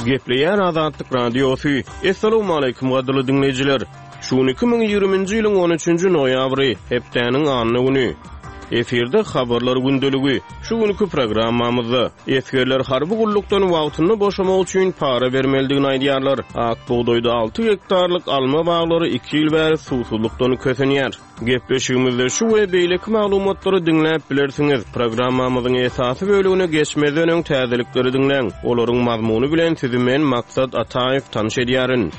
Gepleýär Azatlyk Radiosy. Essalawmaleýkim gadyrly diňleýjiler! Şu gün 2020-nji ýylyň on üçünji noýabry, hepdäniň anna güni. Efirde Habarlar gündeligi. Şu günki programmamyzda, esgerler harby gullukdan wagtynda boşamak üçin para bermelidigini aýdýarlar. Ak bugdaýda alty gektarlyk alma baglary iki ýyl bäri suwsuzlykdan kösenýär. Gepleşigimizde şu we beýleki maglumatlary diňläp bilersiňiz. Programmamyzyň esasy bölegine geçmezden öň täzelikleri diňläň. Olaryň mazmuny bilen sizi men Maksat Ataýew tanyş edýärin.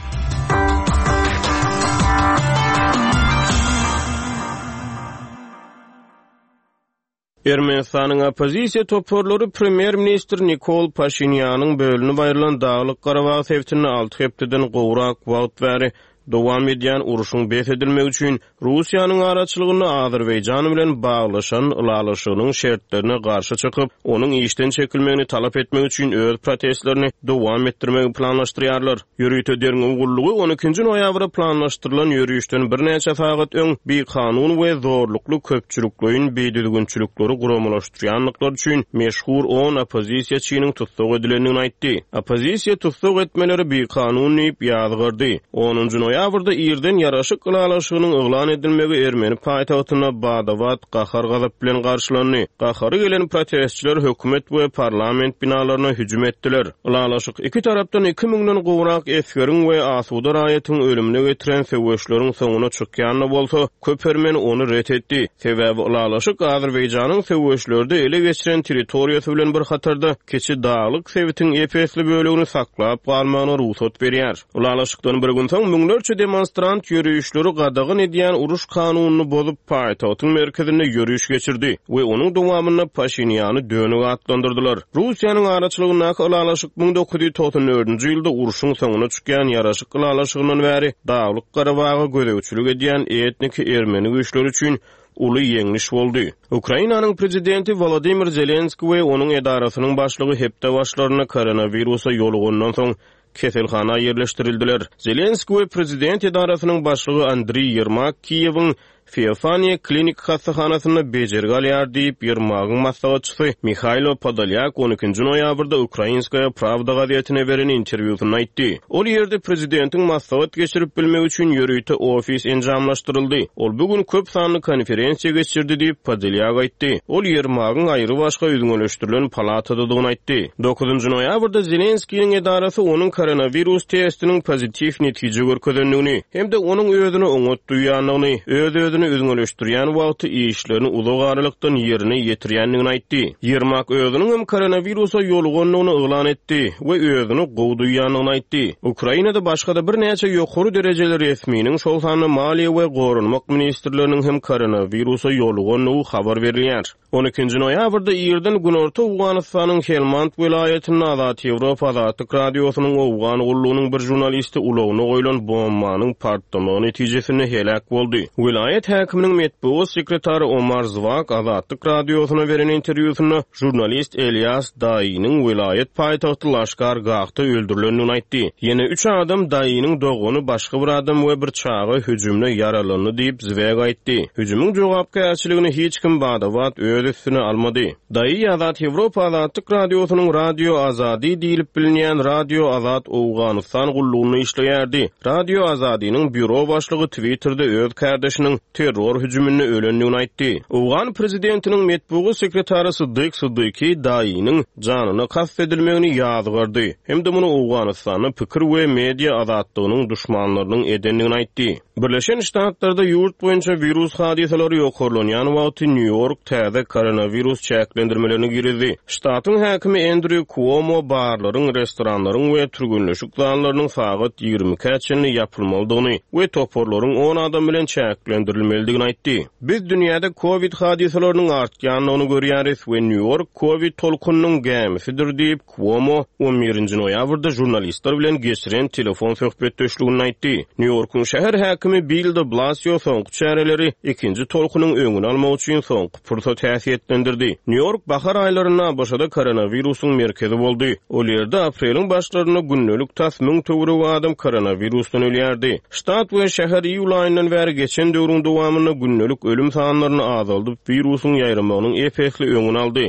Ermenistanyň oppozisiýa toparlary premýer-ministr Nikol Paşinýanyň bölünip aýrylan Daglyk-Garabag sebitinde alty hepdeden gowrak wagt bäri dowam edýän urşuň bes edilmegi üçin Russiýanyň araçylygynda Azerbaýjan bilen baglaşan ylalaşygynyň şertlerine garşy çykyp, onuň işden çekilmegini talap etmek üçin öz protestlerini dowam etdirmegi planlaşdyrýarlar. Ýörite derňew gullugy on ikinji noýabra planlaşdyrylan ýörişden birnäçe sagat öň bikanun we zorlukly köpçülikleýin bidüzgünçilikleri guramalaşdyrýandyklary üçin meşhur on oppozisiýaçynyň tussag edilendigini aýtdy. Oppozisiýa tussag etmeleri bikanun diýip ýazgardy. Onunjy noýabrda irden ýaraşyk ylalaşygynyň yglan edilmegi ermeni paýtagtynda bada-bat gahar-gazap bilen garşylandy. Gahary gelen protestçiler hökümet we parlament binalaryna hüjüm etdiler. Ylalaşyk iki tarapdan iki müňden gowrak esgeriň we asuda raýatyň ölümine getiren söweşleriň soňuna çykýan-da bolsa, köp ermeni ony ret etdi. Sebäbi ylalaşyk Azerbaýjanyň söweşlerde ele geçiren territoriýasy bilen bir hatarda kiçi daglyk sebitiň ep-esli bölegini saklap galmagyna rugsat berýär. Ylalaşykdan bir gün soň müňlerçe demonstrant ýörişleri gadagan edýän uruş kanunyny bozup, paýtagtyň merkezinde ýöriş geçirdi we onuň dowamynda Paşinýany dönük atlandyrdylar. Russiýanyň araçylygyndaky ylalaşyk 1994-nji ýylda urşuň soňuna çykýan ýaraşyk ylalaşygyndan bäri Daglyk Garabaga gözegçilik edýän etniki ermeni güýçleri üçin uly ýeňliş boldy. Ukrainanyň prezidenti Wolodymyr Zelenskiý we onuň edarasynyň başlygy hepde başlarynda koronawirusa ýolugandan soň keselhana ýerleşdirildiler. Zelenskiý we prezident edarasynyň başlygy Andriý Ýermak Kiýewiň Feofaniýa klinik hassahanasynda bejergi alýar diýip, Ýermagyň maslahatçysy Mihailo Podolýak on ikinji noýabrda Ukrainskaýa prawda gazetine beren interwýusynda aýtdy. Ol ýerde prezidentiň maslahat geçirip bilmegi üçin ýörite ofis enjamlaşdyryldy. Ol bu gün köp sanly konferensiýa geçirdi diýip, Podolýak aýtdy. Ol Ýermagyň aýrybaşga üzňeleşdirilen palatadadygyny aýtdy. Dokuzynjy noýabrda Zelenskiniň edarasy onuň koronawirus testiniň pozitiw netije görkezendigini hem-de onuň özüni oňat duýýandygyny, öz-özüni üzňeleşdirýän wagty işlerini uzak aralykdan ýerine ýetirýändigini aýtdy. Ýermak özüniň hem koronawirusa ýolugandygyny yglan etdi we özüni gowy duýýandygyny aýtdy. Ukrainada başga-da birnäçe ýokary derejeli resminiň, şol sanda maliýe we goranmak ministrleriniň hem koronawirusa ýolugandygy habar berilýär. On ikinji noýabrda irden günorta Owganystanyň Helmand welaýatynda Azat Ýewropa Azatlyk Radiosynyň Owgan gullugynyň bir žurnalisti ulagyna goýlan bombanyň partlamagy netijesinde heläk boldy. Welaýat häkiminiň metbugat sekretary Omar Zwak Azatlyk Radiosyna beren interwýusynda žurnalist Elýas Daýynyň welaýat paýtagty Laşkar Gahda öldürilendigini aýtdy. Ýene üç adam, Daýynyň dogany, başga bir adam we bir çaga hüjümde ýaralandy diýip, Zweg aýtdy. Hüjümiň jogapkärçiligini hiç kim bada-bat öz üstüne almady. Daýy Azat Ýewropa Azatlyk Radiosynyň Radio Azadi diýlip bilinýän Radio Azat Owganystan gullugynda işleýärdi. Radio Azadiniň býuro başlygy Twitterde öz kärdeşiniň terror hüjüminde ölendigini aýtdy. Owgan prezidentiniň metbugat sekretary Syddyk Syddyky Daýynyň janyna kast edilmegini ýazgardy hem-de muny Owganystanda pikir we media azatlygynyň duşmanlarynyň edendigini aýtdy. Birleşen Ştatlarda ýurt boýunça wirus hadysalary ýokarlanýan wagty Nýu-Ýork täze koronawirus çäklendirmelerini girizdi. Ştatyň häkimi Endrýu Kuomo barlaryň, restoranlaryň we türgenleşik zallarynyň sagat ýigrimi ikä çenli ýapylmalydygyny we toparlaryň on adam bilen çäklendirilmelidigini aýtdy. Biz dünýäde kowid hadysalarynyň artýandygyny görýäris we Nýu-Ýork kowid tolkunynyň gämisidir diýip, Kuomo on birinji noýabrda žurnalistler bilen geçiren telefon söhbetdeşliginde aýtdy. Nýu-Ýorkuň şäher häkimi Bill de Blasio soňky çäreleri ikinji tolkunyň öňüni almak üçin soňky pursat häsiýetlendirdi. Nýu-Ýork bahar aýlarynda ABŞ-da koronawirusyň merkezi boldy. Ol ýerde apreliň başlarynda gündelik tas müň töweregi adam koronawirusdan ölýärdi. Ştat we şäher iýul aýyndan bäri geçen döwrüň dowamynda gündelik ölüm sanlaryny azaldyp, wirusyň ýaýramagynyň ep-esli öňüni aldy.